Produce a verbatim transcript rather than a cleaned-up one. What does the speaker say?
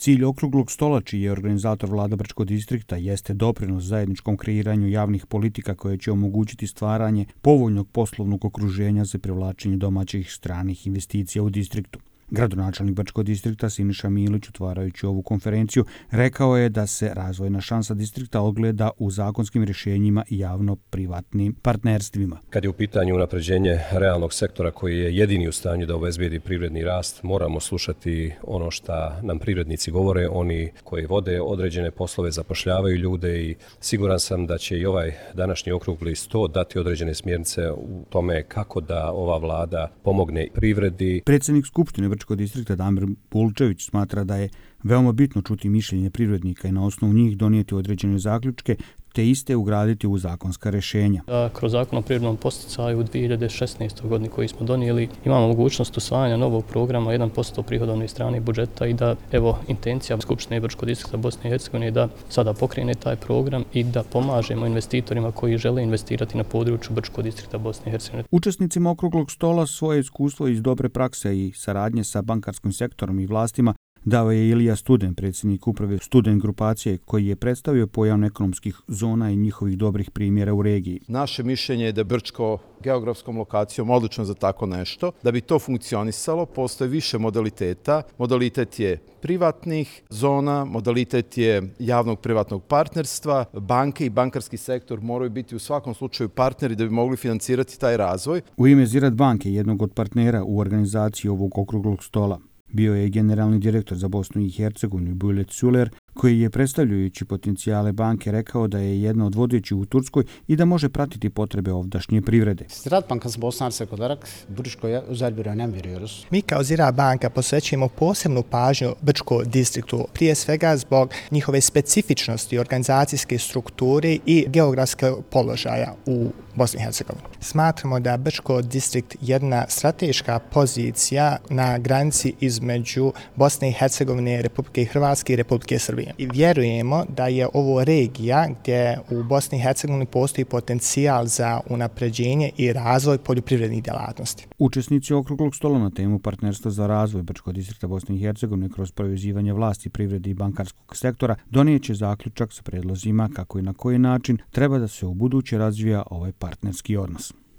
Cilj okruglog stola, čiji je organizator vlada Brčkog distrikta, jeste doprinos zajedničkom kreiranju javnih politika koje će omogućiti stvaranje povoljnog poslovnog okruženja za privlačenje domaćih stranih investicija u distriktu. Gradonačelnik Brčkog distrikta Siniša Milić, otvarajući ovu konferenciju, rekao je da se razvojna šansa distrikta ogleda u zakonskim rješenjima i javno-privatnim partnerstvima. Kad je u pitanju unapređenje realnog sektora koji je jedini u stanju da obezbijedi privredni rast, moramo slušati ono što nam privrednici govore, oni koji vode određene poslove, zapošljavaju ljude i siguran sam da će i ovaj današnji okrugli sto dati određene smjernice u tome kako da ova vlada pomogne privredi. Predsjednik Skupštine Brčkog distrikta Damir Bulčević smatra da je veoma bitno čuti mišljenje privrednika i na osnovu njih donijeti određene zaključke te iste ugraditi u zakonska rješenja. Kroz zakon o privrednom podsticaju u dvije hiljade šesnaestoj. godini koji smo donijeli imamo mogućnost usvajanja novog programa jedan posto prihodovne strane budžeta i da evo intencija Skupštine Brčkog distrikta Bosne i Hercegovine je da sada pokrene taj program i da pomažemo investitorima koji žele investirati na području Brčkog distrikta Bosne i Hercegovine. Učesnicima okruglog stola svoje iskustvo iz dobre prakse i saradnje sa bankarskim sektorom i vlastima dao je Ilija Studen, predsjednik uprave Studen grupacije, koji je predstavio pojam ekonomskih zona i njihovih dobrih primjera u regiji. Naše mišljenje je da je Brčko geografskom lokacijom odlično za tako nešto. Da bi to funkcionisalo, postoje više modaliteta. Modalitet je privatnih zona, modalitet je javnog privatnog partnerstva. Banke i bankarski sektor moraju biti u svakom slučaju partneri da bi mogli financirati taj razvoj. U ime Ziraat banke, jednog od partnera u organizaciji ovog okruglog stola, bio je generalni direktor za Bosnu i Hercegovinu Bülent Suler, koji je predstavljajući potencijale banke rekao da je jedna od vodećih u Turskoj i da može pratiti potrebe ovdašnje privrede. Ziraat Bankası Bosna Hersek olarak Brčko'ya özel bir önem veriyoruz. Mi kao Ziraat banka posvećujemo posebnu pažnju Brčkom distriktu, prije svega zbog njihove specifičnosti, organizacijske strukture i geografskog položaja u Bosni i Hercegovini. Smatramo da Brčko distrikt jedna strateška pozicija na granici između Bosne i Hercegovine, Republike Hrvatske i Republike Srbije. I vjerujemo da je ovo regija gdje u Bosni i Hercegovini postoji potencijal za unapređenje i razvoj poljoprivrednih djelatnosti. Učesnici okruglog stola na temu partnerstva za razvoj Brčkog distrikta Bosne i Hercegovine kroz povezivanje vlasti, privrede i bankarskog sektora donijet će zaključak sa predlozima kako i na koji način treba da se u buduće razvija ovaj partnerski odnos.